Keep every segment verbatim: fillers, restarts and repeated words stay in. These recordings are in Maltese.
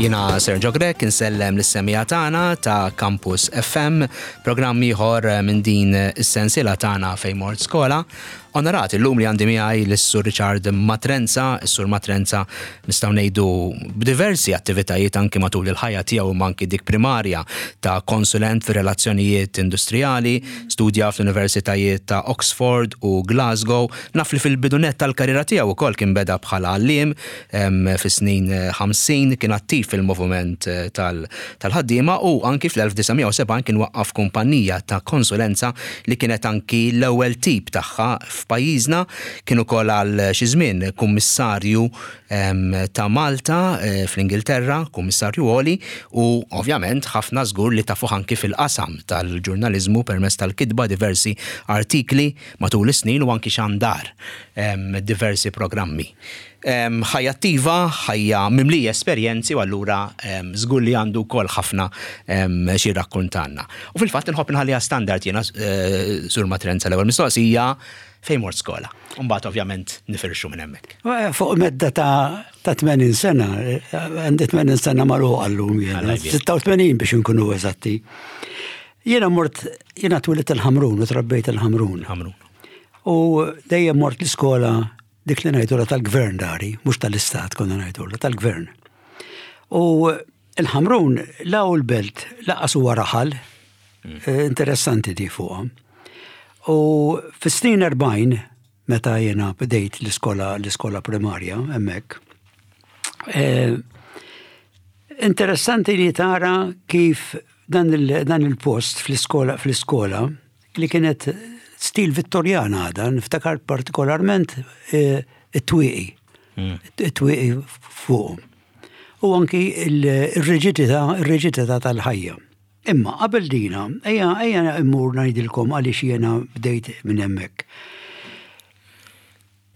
Jiena Sergio Grech, insellem lis-semmiegħa tagħna ta' Campus F M, programm ieħor minn din is-sensiela tagħna Fejn Mort Skola. Onorat illum li għandi miegħi lis-Sur Richard Matrenza. Is-Sur Matrenza nistgħu ngħidu b'diversi attivitajiet anki matul il-ħajja tiegħu, anki dik primarja ta' konsulent fir relazzjonijiet industrijali, studja fl-Universitajiet ta' Oxford u Glasgow. Naf li fil-bidu nett tal-karriera tiegħu ukoll kien beda bħala għalliem fis-snin ħamsin, kien attiv fil-moviment tal-ħaddiema u anki fl-elf disa' mija u sebgħin kien waqqaf kumpanija ta' konsulenza li kienet anki l-ewwel tip tagħha f'pajjiżna. Kien ukoll għal xi żmien kummissarju ta' Malta eh, fl-Ingilterra, kummissarju għoli, u ovvjament ħafna żgur li tafuh anki fil-qasam tal-ġurnaliżmu permezz tal-kitba diversi artikli matul is-snin u anki xandar diversi programmi. Ħajja attiva, ħajja mimlija esperjenzi u allura żgur li għandu wkoll ħafna xi rakkontanna. U fil-fatt inħobb nħalliha standard jiena, eh, Sur Matrenza, l-ewwel mistoqsija: fejn mort skola? Umbagħad ovvjament nifirxu minn hemmhekk. Eh, fuq medda ta' ta' tmenin sena, eh, għandi tmenin sena magħluqa llum jiena, sitta u tmenin biex nkunu eżatti. Jiena mort, jiena twelidt il-Ħamrun u trabbejt il-Ħamrun. Ħamrun. U dejjem mort l-iskola dik li ngħidula tal-gvern dari, mhux tal-istat konna ngħidula, tal-gvern. U il-Ħamrun la hu l-belt, lanqas huwa raħal, mm. eh, interessanti di fuqha. U fis-snin erbgħin, meta jena bdejt l-iskola l-iskola primarja hemmhekk, eh, interessanti li tara kif dan il-post fl-iskola fl-iskola li kienet stil Vittorjana għada, niftakar partikolarment eh, it-twieqi. Hmm. It-twieqi fuqhom. U anki il-riġidità il-riġidità tal-ħajja. Imma qabel dina, ejja ejja immur ngħidilkom għaliex jiena bdejt minn hemmhekk.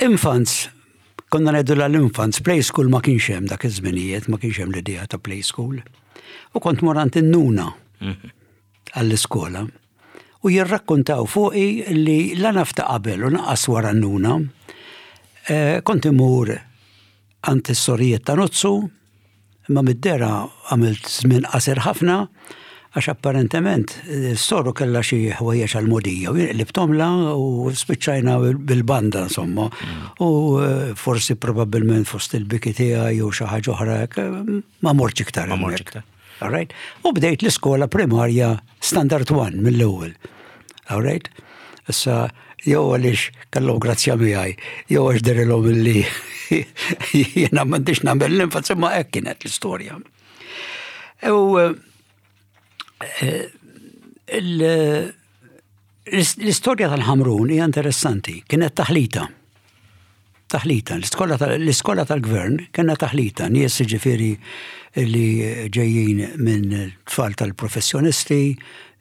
Infants, konna ngħidu l-infants, play school ma kienx hemm dak iż-żminijiet, ma kienx hemm l-idea ta' play school. U kont mort għand in-nuna mhm. għall-iskola. U jirrakkontaw fuqi li la naf ta' qabel u lanqas wara n-nuna, eh, kont imur għand is-sorijiet ta' Nuzzu, imma mid-dehra għamilt żmien qasir ħafna, għax apparentement s-soru kella xi ħwejjeġ għal-mogħdija u qlibthomlha u spiċċajna bil-banda, insomma. Mm. U eh, forsi probabbilment fost il-biki tiegħi jew xi ħaġa oħra ma mortx iktar. Ma mortx iktar. All right? U bdejt l-iskola primarja Standard one mill-ewwel. All right? Issa jew għaliex kellhom grazzja miegħi, jew għax dehrilhom illi jiena m'għandix nagħmel l-infants, imma hekk kienet l-istorja. U eh, l-istorja tal-Ħamrun hija interessanti, kienet taħlita. Taħlita, l-iskola tal-gvern kienet taħlita, nies ġifieri li ġejjin minn tfal tal-professjonisti,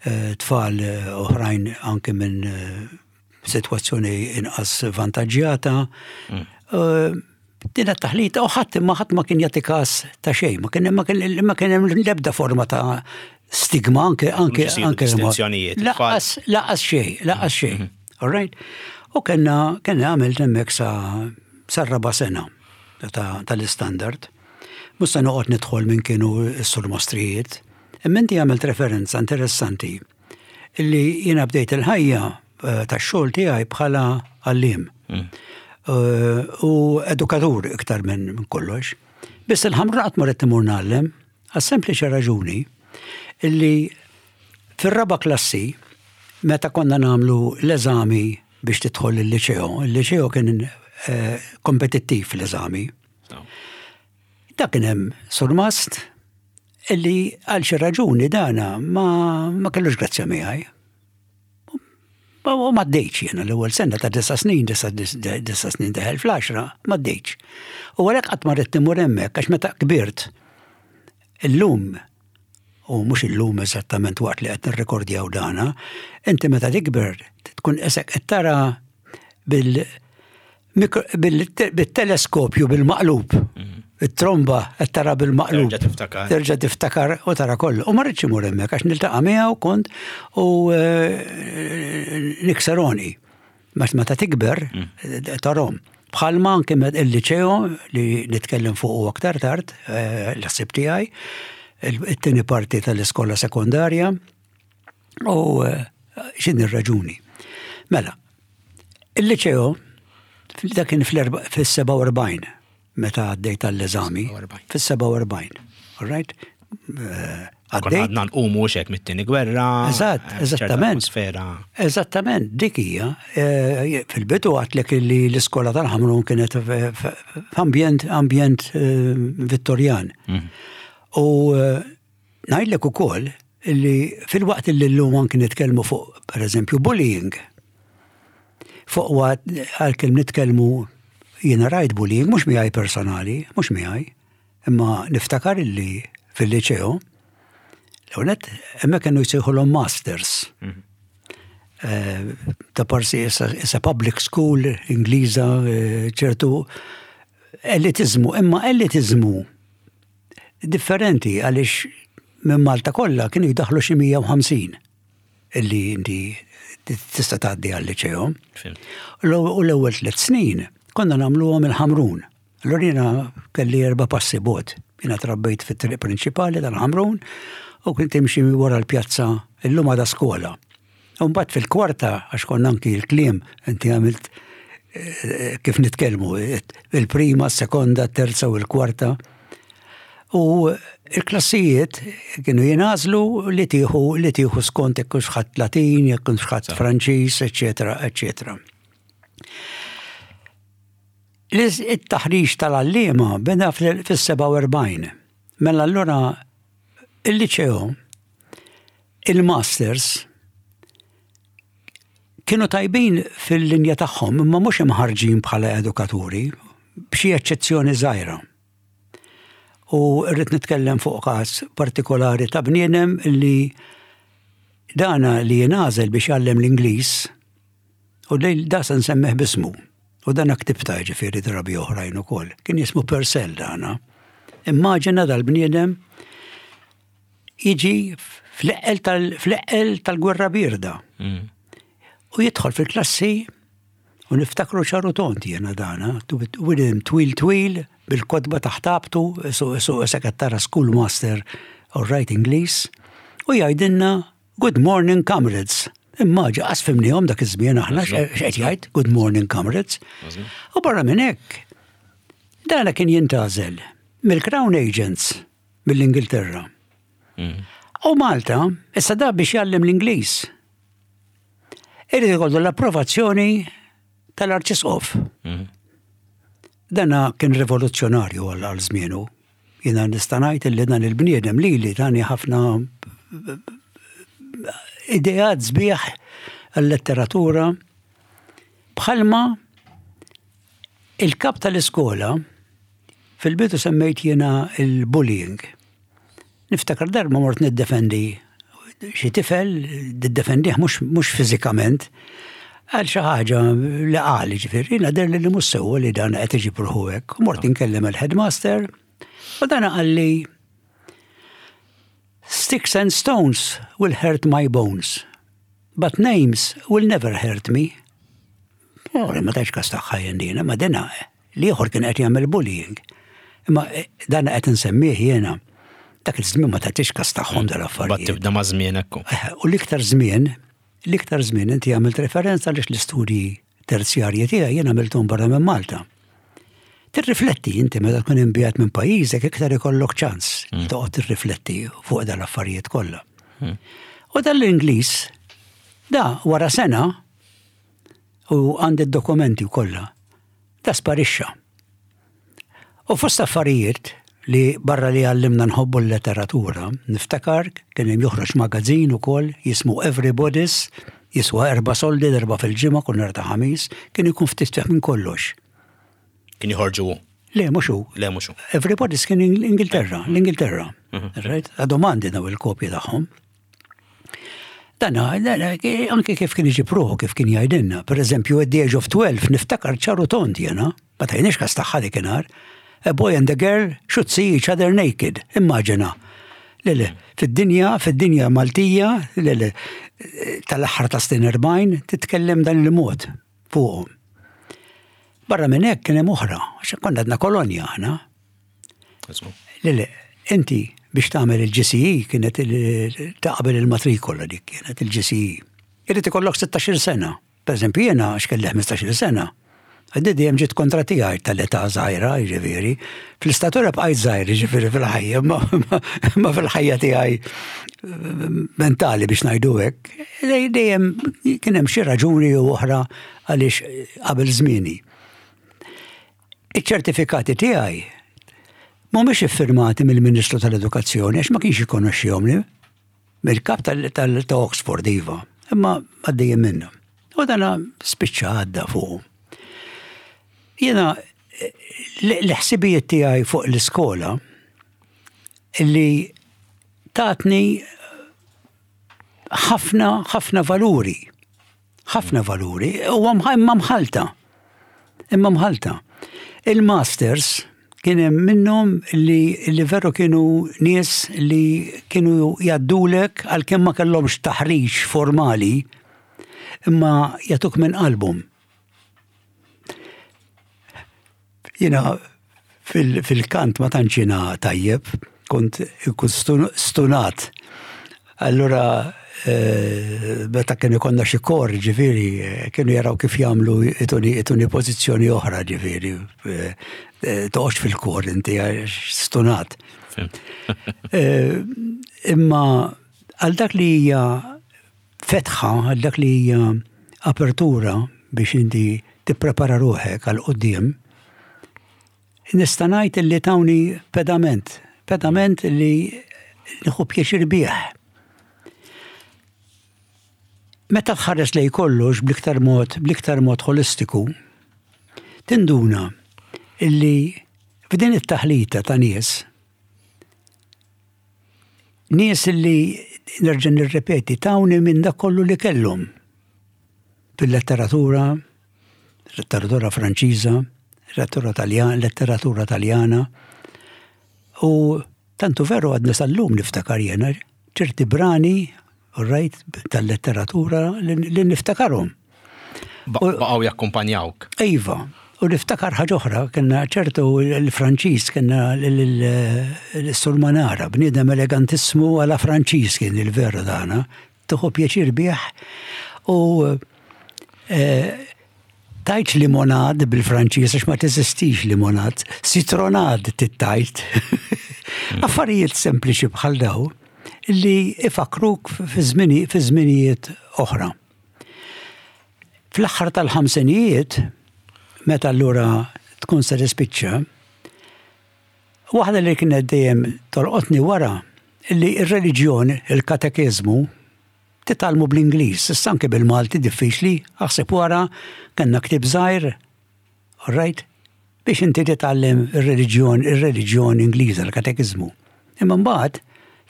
eh, tfal oħrajn anke minn eh, situazzjoni inqas vantaġġjata. Mm. Din taħlita u ħadd ma ħadd ma kien jagħti każ ta' xejn, ma kien ma kien ma kien hemm l-ebda forma ta' stigma anke anke anke Lanqas lanqas xejn, lanqas xejn. Mhm. All right? U kellna kellna għamilt hemmhekk sa sar-raba' sena tal-istandard. Mhux se noqgħod nidħol minn kienu s-surmastrijiet. Imma inti għamilt referenza interessanti illi jiena bdejt il-ħajja eh, tax-xogħol tiegħi bħala għalliem. Mm. Eh, u edukatur iktar minn kollox. Biss il-Ħamrun qatt ma ridt imur ngħallem, għas-sempliċi raġuni illi fir-raba' klassi, meta konna nagħmlu l-eżami biex tidħol il-liċeo, il-liċeo kien eh, kompetittiv l-eżami. Da kien hemm surmast illi għal xi raġuni dana ma, ma kellux grazzja miegħi. U ma għaddejtx jiena l-ewwel sena ta' disa' snin, disa' snin deħel fl-għaxra, ma għaddejtx. U għalhekk qatt ma ridt imur hemmhekk, għax meta kbirt illum, u mhux illum eżattament waqt li qed nirrekordjaw dana, inti meta tikber tkun qisek qed tara bil bil-teleskopju bil-maqlub. Mhm. It-tromba qed tara bil-maqlub. Terġa' tiftakar. Terġa' tiftakar u tara kollu. U ma rridx imur hemmhekk għax niltaqa' miegħu kont u eh, nikseroni. Meta tikber mm. tarahom. Bħalma anke il-liċeo li nitkellem fuq aktar tard, eh, l-ħsib tiegħi, it-tieni parti tal-iskola sekondarja, u eh, x'inhi r-raġuni. Mela, il-liċeo, dak kien fis-sebgħa u erbgħin meta għaddejt għall-eżami. fis-sebgħa u erbgħin. All right? Eh, għaddejt. Għadna nqumu xek mit-tieni gwerra. Eżatt, eh, eżattament. Eżattament, dik hija. Eh, fil-bidu għedtlek li l-iskola tal-Ħamrun kienet f'ambjent ambjent Vittorjan. Mhm. U ngħidlek ukoll li fil-waqt li llum anki nitkellmu fuq, per eżempju, bullying, fuq waqt għalkemm nitkellmu, jiena rajt bullying, mhux miegħi personali, mhux miegħi, imma niftakar illi fil-liċeo, l-għonet, hemmhekk kienu jsejħulhom masters. Mhm. Eh, ta' parsi issa public school Ingliża, eh, ċertu elitizmu, imma elitizmu differenti, għaliex minn Malta kollha kienu jdaħlu xi mija u ħamsin illi inti tista' tgħaddi għal-liċeo. U l-ewwel tliet snin konna nagħmluhom il-Ħamrun. Allura jiena kelli erba' passi bogħod. Jiena trabbejt fit-triq prinċipali tal-Ħamrun u kont imxi wara l-pjazza, illum għadha skola. U mbagħad fil-kwarta, għax konna anki l-kliem, inti għamilt eh, kif nitkellmu, il-prima, sekonda, terza u l-kwarta. U il-klassijiet kienu jingħażlu li tieħu li tieħu skont jekk ħadt Latin, jekk ħadt Franċiż, eċetera, eċetera. Il-taħriġ tal-għalliema beda fis-sebgħa u erbgħin. Mela allura il-liċeo, il-masters, kienu tajbin fil-linja tagħhom, imma mhux imħarġin bħala edukaturi, b'xi eċċezzjoni żgħira. U rrid nitkellem fuq każ partikolari ta' bniedem li dana li jingħażel biex jgħallem l-Ingliż u li da se nsemmih b'ismu. U dan ktibtha, ġifieri, drabi oħrajn ukoll. Kien jismu Purcell dana. Immaġina dal-bniedem jiġi fl-eqqel tal-gwerra bierda. Mm. U jidħol fil-klassi u niftakru ċar u tond jena dana, William twil twil, bil-kotba taħt abtu, su su sekrettara schoolmaster, all right, Ingliż, u jgħidilna: "Good morning, comrades." Immaġina, qas fhimnihom dak iż-żmien aħna x'qed jgħid, "Good morning, comrades." U barra minn hekk, dana kien jintgħażel mill-Crown Agents mill-Ingilterra. Mm. U Malta, issa da biex jgħallem l-Ingliż. Irid ikollu l-approvazzjoni tal-Arċisqof. Mm. Dana kien rivoluzzjonarju għal żmienu. Jiena nista' ngħid li dan il-bniedem li li tani ħafna ideat sbieħ għal-letteratura, bħalma il-kap tal-iskola. Fil-bidu semmejt jiena il-bullying. Niftakar darba mort niddefendi xi tifel, niddefendih mhux fiżikament, għal xi ħaġa li qal, ġifieri, jiena deher li mhux sewwa li dan qed iġib ruħu hekk. Mort inkellem il-headmaster u dan qalli: "Sticks and stones will hurt my bones, but names will never hurt me." Oh, ma tajtx kas tagħha jien dina, ma dina l-ieħor kien qed jagħmel bullying. Imma eh, dan qed insemmih jiena. Dak iż-żmien ma tagħtix kas tagħhom dal-affarijiet. Tibda ma' żmien ekku. Eh, u l-iktar żmien, l-iktar żmien inti għamilt referenza għaliex l-istudji terzjarji tiegħi jien għamilthom barra minn Malta. Tirrifletti inti meta tkun imbiegħed minn pajjiżek, iktar ikollok ċans mm. toqgħod tirrifletti fuq dal-affarijiet kollha. Mm. U dal-Ingliż da wara sena, u għandi d-dokumenti kollha, da sparixxa. U fost affarijiet li barra li għallimna nħobbu l-letteratura, niftakar kien hemm joħroġ magazzin ukoll jismu Everybody's, jiswa erba' soldi, darba fil-ġimgħa, kull nhar ta' Ħamis, kien ikun ftit minn kollox. Kien joħorġu? Le, mhux hu. Le, mhux hu. Everybody's kien Ingilterra, l-Ingilterra. Mhm. Right? Għadhom għandi daw il-kopji tagħhom. Dana, anke kif kien iġib ruħu, kif kien jgħidilna. Per eżempju, at the age of twelve, niftakar ċar u tond jena, ma tajniex kas tagħha dakinhar. "A boy and a girl should see each other naked." Immaġina. Le, fid-dinja, fid-dinja Maltija, le, tal-aħħar ta' snin erbgħin, titkellem dan il-mod fuqhom. Barra minn hekk kien hemm oħra, għax konna għadna kolonja aħna. Le, le, inti biex tagħmel il-G C E kienet ta' qabel il-matrikola, dik kienet il-G C E. Irid ikollok sittax-il sena. Per eżempju, jiena għax kelli ħmistax-il sena. Għaddi dejjem ġiet kontra tiegħi tal-età żgħira, jiġifieri. Fl-istatura bqajt żgħir, jiġifieri fil-ħajja, ma fil-ħajja tiegħi mentali, biex ngħidu hekk. Dejjem kien hemm xi raġuni u oħra għaliex qabel żmieni. Iċ-ċertifikati tiegħi mhumiex iffirmati mill-Ministru tal-Edukazzjoni għax ma kienx ikonoxxihom, mill-kap ta' Oxford, iva, imma għaddejjem minnu. U dana spiċċa għadda fuq. Jena l-ħsibijiet tiegħi fuq l-iskola li tatni ħafna ħafna valuri. Ħafna valuri, u imma mħalta. Imma mħalta. Il-masters kien hemm minnhom li, li veru kienu nies li kienu jgħaddulek, għalkemm ma kellhomx taħriġ formali, imma jagħtuk minn qalbhom. Jiena fil-kant ma tantx jiena tajjeb, kont ikun stunat. Allura eh, meta kienu konna xi kor, ġifieri, kienu jaraw kif jagħmlu ituni ituni pożizzjoni oħra, ġifieri, eh, eh, toqgħodx fil-kor inti stunat. Imma għal dak li hija fetħa, għal dak li hija apertura biex inti tipprepara ruħek għal quddiem, nista' ngħid li tawni pedament, pedament li nieħu pjaċir bih. Meta tħares lej kollox bl-iktar mod, bl-iktar mod holistiku, tinduna illi f'din it-taħlita ta' nies, nies illi, nerġa' nirrepeti, tawni minn dak kollu li kellhom fil-letteratura, letteratura Franċiża, letteratura Taljana, letteratura Taljana. U tantu veru għadna sal-lum niftakar jena ċerti brani, right, tal-letteratura li niftakarhom. Baqgħu jakkumpanjawk. Iva, u niftakar ħaġa oħra, kellna ċertu l-Franċiż, kellna l-Sur Manara, bniedem elegantissmu għala Franċiż kien il-veru dana, tieħu pjaċir bih u eh, tgħidx limonad bil-Franċiż għax ma teżistix limonad, citronnade tgħid. Affarijiet sempliċi bħal daw li ifakruk fi żminijiet oħra. Fl-aħħar tal-ħamsinijiet, meta allura tkun se tispiċċa, waħda li kienet dejjem tolqotni wara li ir-reliġjon, il-katekiżmu, titgħallmu bl-Ingliż, issa anke bil-Malti diffiċli, aħseb wara kellna ktib żgħir, all right, biex inti titgħallem ir-reliġjon, ir-reliġjon Ingliża, l-katekiżmu. Imma mbagħad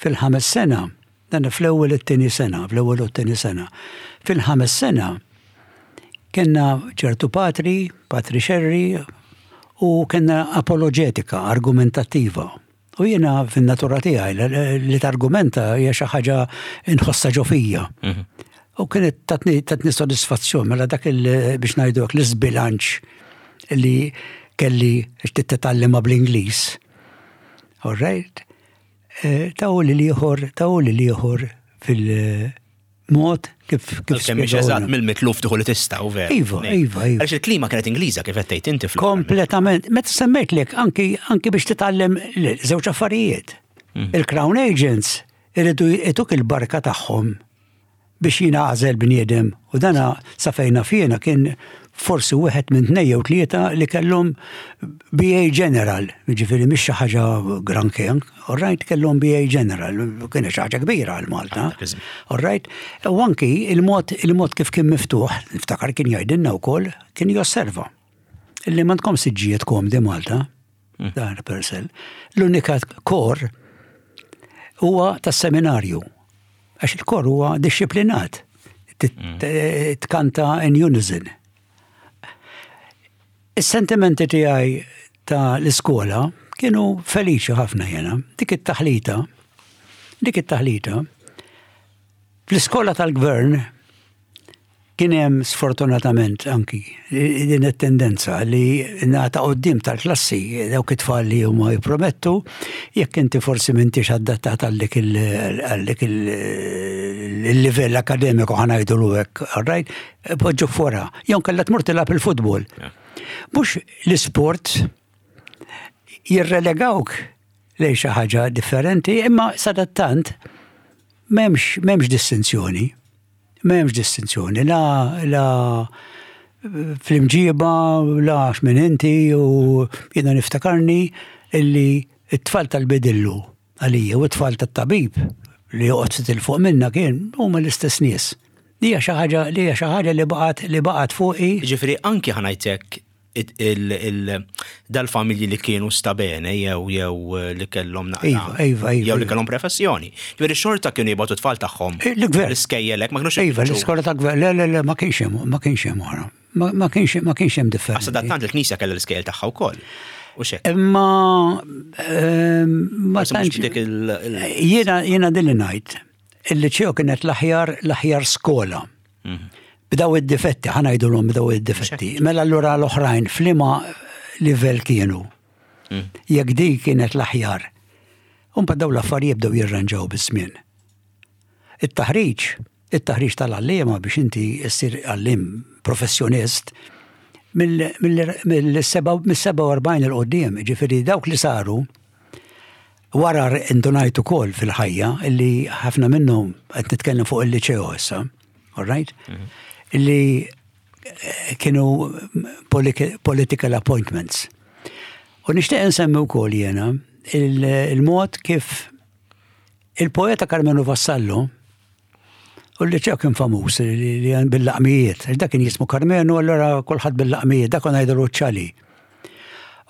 fil-ħames sena, dan fl-ewwel it-tieni sena, fl-ewwel u t-tieni sena, fil-ħames sena kellna ċertu patri, Patri Xerri, u kellna apologetika, argumentattiva. U jiena fin-natura tiegħi li targumenta hija xi ħaġa inħossa ġo fija. Mhm. U kienet tatni, tatni soddisfazzjon, mela dak il biex ngħidu l-iżbilanċ li kelli titgħallima bl-Ingliż. All right? Eh, taw li liħor, taw li liħor fil-mod kif kif Kemm mhix eżatt mill-mitluf tieħu li tista' u vera. Iva, iva, iva. Għaliex il-klima kienet Ingliża kif qed tgħid inti fl Kompletament. Meta semmejtlek anki anki biex titgħallem żewġ affarijiet. Mm. Il-Crown Agents iridu jtuk il-barka tagħhom biex jingħażel bniedem, u dana sa fejn naf jiena kien forsi wieħed minn tnejn jew tlieta li kellhom B A General, ġifieri mhix xi ħaġa granché, all right, kellhom B A General, kien xi ħaġa kbira għal Malta. All right, u anki il-mod il-mod kif kien miftuħ, niftakar kien jgħidilna wkoll, kien josserva illi m'għandkom siġġijiet komdi Malta, hmm. dan Purcell. L-unika kor huwa tas-seminarju. Għax il-kor huwa disciplinat. Hmm. Tkanta in unison. Is-sentimenti tiegħi ta' l-iskola kienu feliċi ħafna jena. Dik it-taħlita, dik it-taħlita, fl-iskola tal-gvern Kien hemm sfortunatament anki din it-tendenza li nagħta quddiem tal-klassi dawk it-tfal li huma jippromettu, jekk inti forsi m'intix adattat għal dik il-livell akademiku, ħa ngħidu hekk, right, poġġu fora. Jew kellha tmur tilgħab il-futbol. Mhux l-isport jirrelegawk lejn xi ħaġa differenti, imma sadattant m'hemmx m'hemmx distinzjoni. M'hemmx distinzjoni, la, la fl-imġiba, la x'min inti, u jiena niftakarni illi it-tfal tal-bidillu għalija u t-tfal tat-tabib li joqgħod 'il fuq minna kien huma l-istess nies. Li hija xi ħaġa li hija xi ħaġa li baqgħet li baqgħet fuqi. Ġifieri anki ħa ngħidlek dal-familji li kienu stabene jew jew li kellhom naqra. Iva, iva, iva. Jew li kellhom professjoni. Ġifieri xorta kienu jibgħatu tfal tagħhom. Eh, l-gvern. L-iskejjelek ma kienux. Iva, l-iskola ta' gvern, le, le, le, ma kienx hemm, ma kienx hemm oħra. Ma kienx ma kienx hemm differenza. Sadattant il-Knisja kellha l-iskejjel tagħha wkoll. U xek. Imma ehm, ma tantx. Jiena jiena din li ngħid. Il-liċeo kienet l-aħjar l-aħjar skola. Mhm. B'daw id-difetti, ħa ngħidulhom b'daw id-difetti. Mela allura l-oħrajn f'liema livell kienu? Mm. Jekk di kienet l-aħjar. Umpa daw l-affarijiet bdew jirranġaw biż-żmien. It-taħriġ, it-taħriġ tal-għalliema biex inti ssir għallim professjonist mill-sebgħa u erbgħin 'il quddiem, ġifieri dawk li saru wara indunajt ukoll fil-ħajja illi ħafna minnhom, qed nitkellem fuq il-liċeo issa, all right? Mhm. Illi eh, kienu political appointments. U nixtieq insemmi wkoll jiena il-mod kif il-poeta Karmenu Vassallo, u li ċew kien famuż li bil-laqmijiet, dak kien jismu Karmenu, allora kulħadd bil-laqmijiet, dak konna ngħidulu ċali.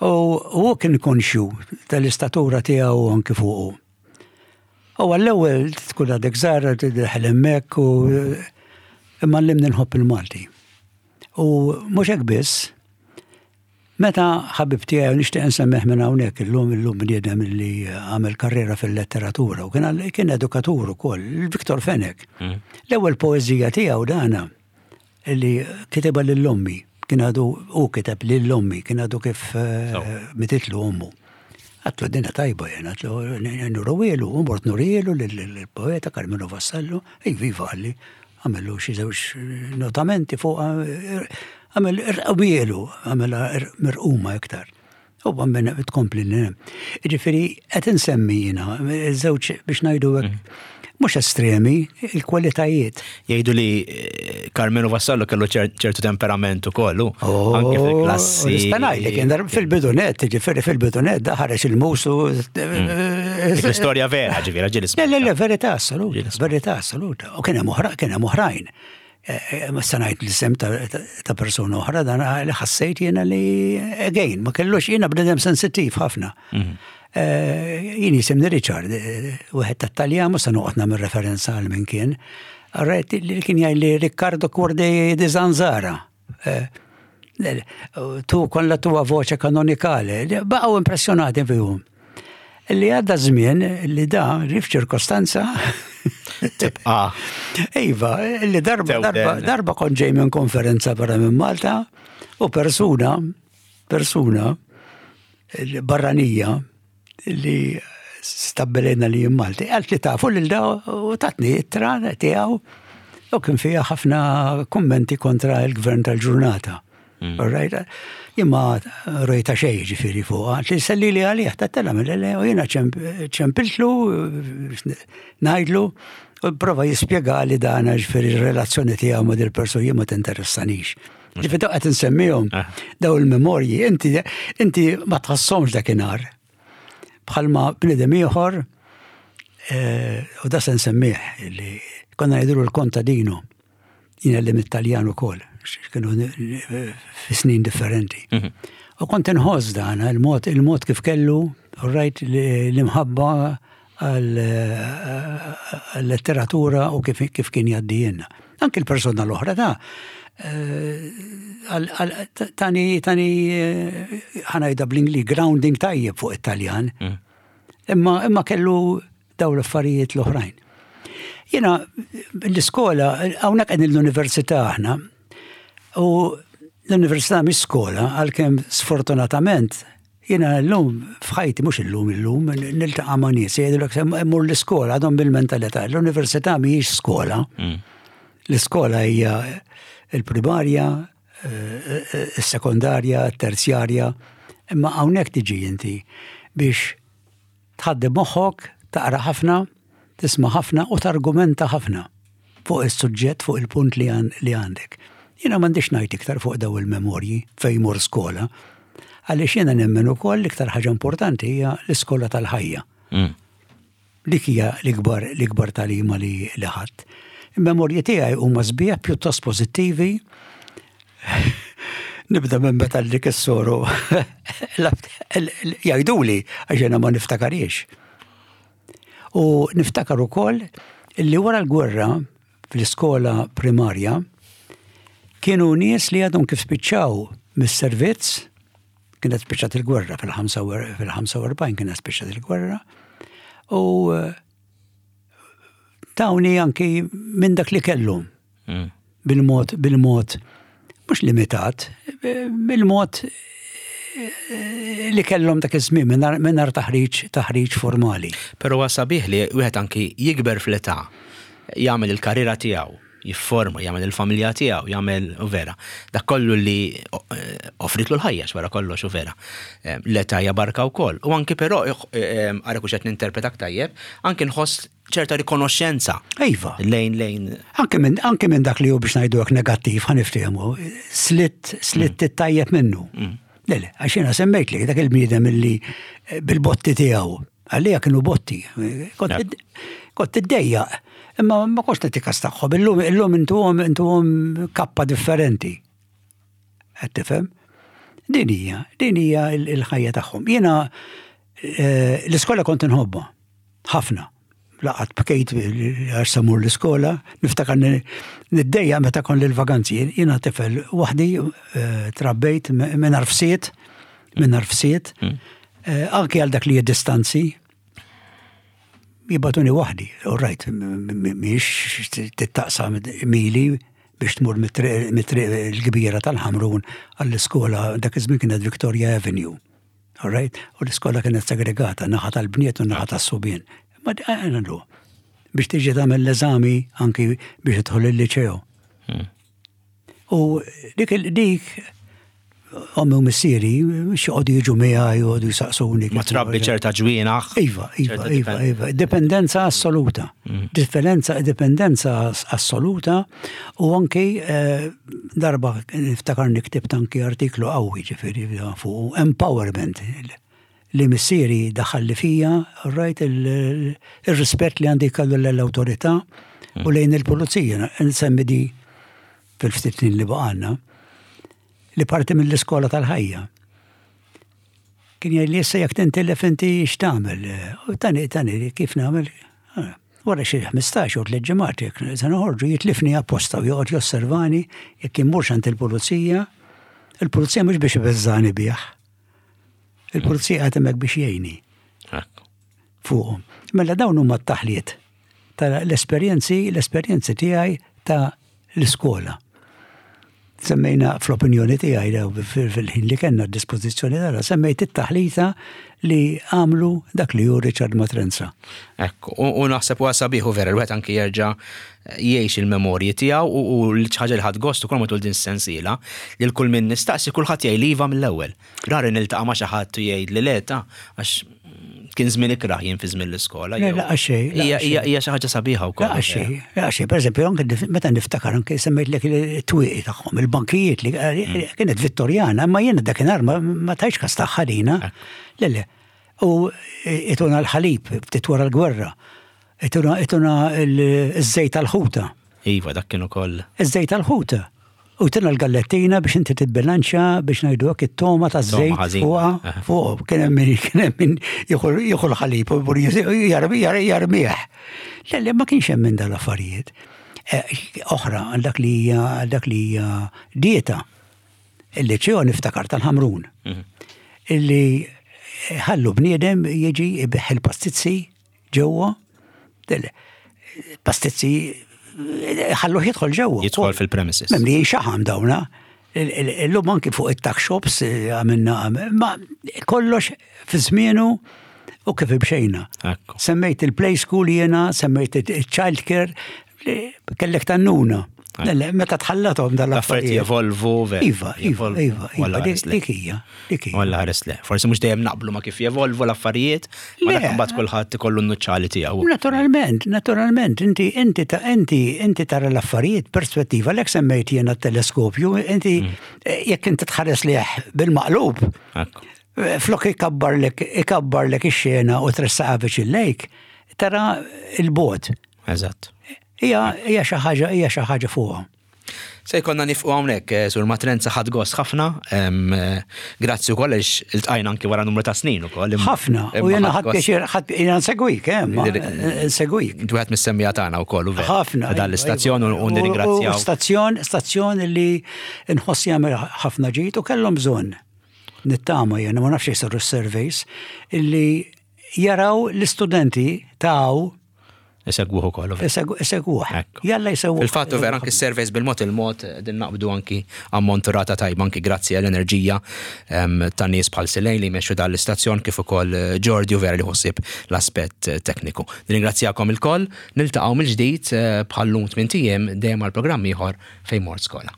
U hu kien konxju tal-istatura tiegħu anki fuqu. U għall-ewwel tkun għadek żgħar, tidħel hemmhekk u imma għallimni nħobb il-Malti. U mhux hekk biss, meta ħabib tiegħi, nixtieq nsemmih minn hawnhekk illum, illum bniedem li għamel karriera fil-letteratura u kien kien edukatur ukoll, Victor Fenech. Mm. L-ewwel poeżija tiegħu dana li kitibha lil ommi, kien għadu u kiteb lil ommi, kien għadu kif eh, mititlu ommu. Għedtlu dina tajba jena, għedtlu nurihielu, u mort nurihielu l-poeta Karmenu Vassallo, ej viva għalli, għamillu xi żewġ notamenti fuq, għamel irqawielu, għamel mirquma iktar. U għammen tkompli l Ġifieri, qed insemmi jiena, żewġ biex ngħidu hekk, mhux estremi, il-kwalitajiet. Jgħidu li eh, Karmenu Vassallo kellu ċertu temperament ukoll, oh, anke fil-klassi. Nistanaj li kien fil-bidunet, ġifieri fil-bidunet, daħarex il-musu. Mm. L-istorja vera, ġifieri, ġieli. Le, le, le, verità assoluta, verità assoluta. U kien hemm oħra, kien hemm oħrajn. Eh, eh, ma sanajt l-isem ta' persona oħra, dan li ħassejt jiena li, again, ma kellux, jiena bnedem sensittiv ħafna. Mhm. Eh, jien jisimni Richard, wieħed ta' Taljan, ma sa noqgħod nagħmel referenza għal min kien. Arret li kien jgħid li Riccardo Cuor di Zanzara. Tu con la tua voce canonicale. Baqgħu impressjonati fihom. Li għadda żmien li da rif ċirkostanza Tibqa. Iva, li darba, darba, darba kont ġej minn konferenza barra minn Malta u persuna, persuna barranija li stabbilejna li Malti, għalt li tafu lil da u tatni ittra tiegħu u kien fiha ħafna kommenti kontra il-gvern tal-ġurnata. Mm. All right? Jien ma rajta xejn ġifieri fuq, li selli li għalih, ta' mill u jiena ċempiltlu, ngħidlu, u prova jispjega li dana ġifieri relazzjoni tiegħu ma' dil-persuna jien ma tinteressanix. Ġifieri daw qed insemmihom ah. daw il-memorji, inti inti ma tħassomx dakinhar. Bħalma bniedem ieħor, eh, u da se nsemmih li konna ngħidulu l-kontadino, jiena li mit-Taljan ukoll, kienu fi snin differenti. Mhm. U kont inħoss dan il-mod il-mod kif kellu, rajt l-imħabba għal-letteratura u kif, kif kien jgħaddijielna. Anki l-persona l-oħra ta' eh, tani tani eh, ħa ngħidha bl-Ingliż grounding tajjeb fuq it-Taljan. Mhm. Imma imma kellu daw l-affarijiet l-oħrajn. Jiena l-iskola, hawnhekk qegħdin l-università aħna, u l-università mhix skola, għalkemm sfortunatament jiena llum f'ħajti, mhux illum illum, niltaqa' ma' nies jgħidulek mur l-iskola, għadhom bil-mentalità. L-università mhijiex skola. Mm. L-iskola hija il-primarja, eh, eh, is-sekondarja, terzjarja, imma hawnhekk tiġi inti biex tħaddem moħħok, taqra ħafna, tisma' ħafna u targumenta ħafna fuq is-suġġett, fuq il-punt li għandek. Jiena m'għandix ngħid iktar fuq daw il-memorji fejn mur skola, għaliex jiena nemmen ukoll l-iktar ħaġa importanti hija l-iskola tal-ħajja. Mm. Dik hija l-ikbar l-ikbar tagħlima li li ħadd. Il-memorji tiegħi huma sbieħ, pjuttost pożittivi. Nibda minn meta dik is-soru jgħiduli, għax jiena ma niftakariex. U niftakar ukoll li wara l-gwerra fl-iskola primarja kienu nies li għadhom kif spiċċaw mis-servizz, kienet spiċċat il-gwerra fil-ħamsa u erbgħin, kienet spiċċat il-gwerra, u eh, tawni anki minn dak li kellhom Mm. bil-mod, bil-mod, mhux limitat, bil-mod eh, li kellhom dak iż-żmien mingħajr taħriġ taħriġ formali. Però huwa sabiħ li wieħed anki jikber fl-età, jagħmel il-karriera tiegħu, jifforma, jagħmel il-familja tiegħu, jagħmel u vera. Dak kollu li eh, offritlu l-ħajja wara kollox u vera. Eh, L-età hija barka wkoll. U anki però ara kux qed ninterpretak tajjeb, anki nħoss ċerta rikonoxxenza Iva. lejn lejn Anke minn anke minn dak li hu, biex ngħidu hekk, negattiv, ħa niftehmu, slitt slitt it-tajjeb minnu. Le, le, għax jiena semmejt li dak il-bniedem illi eh, bil-botti tiegħu, għalija kienu botti, kont Ja. kont iddejjaq, imma ma kontx nagħti kas tagħhom, illum illum intuhom intuhom kappa differenti. Qed tifhem? Din hija, din hija il- il-ħajja tagħhom. Jiena eh, l-iskola kont inħobbha ħafna. Laqat bkejt għax se mmur l-iskola, niftakar niddejjaq meta kon l-vaganzi. Jiena tifel waħdi, eh, trabbejt minn arfsiet, minn arfsiet, eh, anki għal dak li distanzi, jibagħtuni waħdi, all right, miex tittaqsam mili biex tmur mit-triq il-kbira tal-Ħamrun għall-iskola, dak iż-żmien kienet Victoria Avenue. All right? U l-iskola kienet segregata, naħa tal-bniet u naħa tas-subien. Ma għana biex tiġi tagħmel l-eżami anki biex tidħol il-liċeo. U dik dik ommi u missieri xi jiġu miegħi u jsaqsuni. Ma trabbi ċerta ġwienaħ. Iva, iva, iva, iva. Dipendenza assoluta. Mm. Differenza, dipendenza assoluta u anki eh, darba niftakar niktibt anki artiklu qawwi ġifieri fuq empowerment li missieri daħal li fija, rajt il-rispett li għandi kellu l-autorità u lejn il-pulizija. Nsemmi di fil-ftit li baqgħalna li parti mill-iskola tal-ħajja. Kien jgħid li issa jekk tintilef inti x'tagħmel? U tani tani kif nagħmel? Ah, wara xi ħmistax u tliet ġimgħat jekk se noħorġu jitlifni apposta u joqgħod josservani jekk immurx għand il-pulizija. Il-pulizija mhux biex ibeżżani bih. Il-pulizija qed hemmhekk biex jgħinni. Fuqhom. Mela dawn huma t-taħliet tal-esperjenzi, l-esperjenzi tiegħi ta' l-iskola. Semmejna fl-opinjoni tiegħi fil-ħin li kellna d-dispożizzjoni tara, semmejt it-taħlita li għamlu dak li hu Richard Matrenza. Ekku, u naħseb u sabiħu vera, l-wieħed anki jerġa' jgħix il-memorji tiegħu u l-ħaġa li ħadt gost ukoll matul din sensiela li l-kull min nistaqsi kulħadd jgħid iva mill-ewwel. Rari niltaqa' ma' xi ħadd u jgħid li le ta, għax kien żmien ikrah jien fi żmien l-iskola. Le, laqas xejn. Hija xi ħaġa sabiħa wkoll. Laqas xejn, laqas xejn. Pereżempju, anke meta niftakar anke semmejt lek it-twieqi tagħhom, il-bankijiet li mm. kienet Vittorjana, ma jiena dakinhar ma tajtx kas tagħha lina. Le, le. U ituna l-ħalib ftit wara l-gwerra. Ituna l-żejt tal-ħuta. Iva, dak kien ukoll. Iż-żejt tal-ħuta. U tina l-gallettina biex inti tibbilanċa, biex ngħidu hekk, it-toma ta' żejt fuqha fuq kien hemm min kien hemm min jieħu l-ħalib u jarmih. Le, le, ma kienx hemm minn dal-affarijiet. Eh, oħra għal dak li hija għal dak li hija dieta. Il-liċeo niftakar tal-Ħamrun. Mhm. Illi ħallu bniedem jiġi ibiħ il-pastizzi ġewwa. Pastizzi ħallu jidħol ġewwa. Jidħol fil-premises. Mimli xaħam dawna. Illum anki fuq it-tuck shops eh, għamilna, ma kollox fi żmienu u kif imxejna. Ekku. Semmejt il-play school jiena, semmejt il-child care, kellek tannuna. Le, meta tħallathom L-affarijiet dal-affarijiet. jevolvu, ver. Iva, iva, Jevolvu. iva, iva, Walla dik ħares le. dik hija, dik hija. Walla ħares le. Forsi mhux dejjem naqblu ma kif jevolvu l-affarijiet, ma Le. dak imbagħad kulħadd ikollu n-nuċċali tiegħu. Naturalment, naturalment, inti inti ta' inti inti tara l-affarijiet perspettiva, lek semmejt jiena t-teleskopju, inti eh, jekk inti tħares liħ bil-maqlub, Ekku. eh, flok ikabbarlek ikabbarlek ix-xena u tressaqa viċin lejk, tara il-bot. Eżatt. Hija hija xi ħaġa hija xi ħaġa fuqha. Se jkollna nifqu hawnhekk, eh, Sur Matrenza, ħadt gost ħafna. em, eh, Grazzi wkoll għax iltqajna anki wara numru ta' snin ukoll. imma- Ħafna, u imma jiena ħadd ħadd gost. pjaċir, ħadd jiena nsegwik, eh, ma nsegwik. Inti wieħed mis-semmiegħa tagħna wkoll u vera. ħafna. Dan iva, l-istazzjon iva. u nirringrazzjaw. U stazzjon, stazzjon li nħoss jagħmel ħafna ġid u kellhom bżonn. Nittama jiena ma nafx jsiru surveys illi jaraw l-istudenti taw Isegwuh ukoll. u vera. isegwuh. Ekku. Jalla jsegwuh. Fil-fatt u vera anki s-surveys bil-mod il-mod din naqbdu anki ammont rata tajba anki grazzi għall-enerġija em, ta' nies bħal Silej li jmexxu dan l-istazzjon kif ukoll eh, Jordi u vera li ħossib l-aspett eh, tekniku. Nirringrazzjakom ilkoll, niltaqgħu mill-ġdid eh, bħal-lum tmien ijiem dejjem għal programm ieħor Fejn Mort Skola.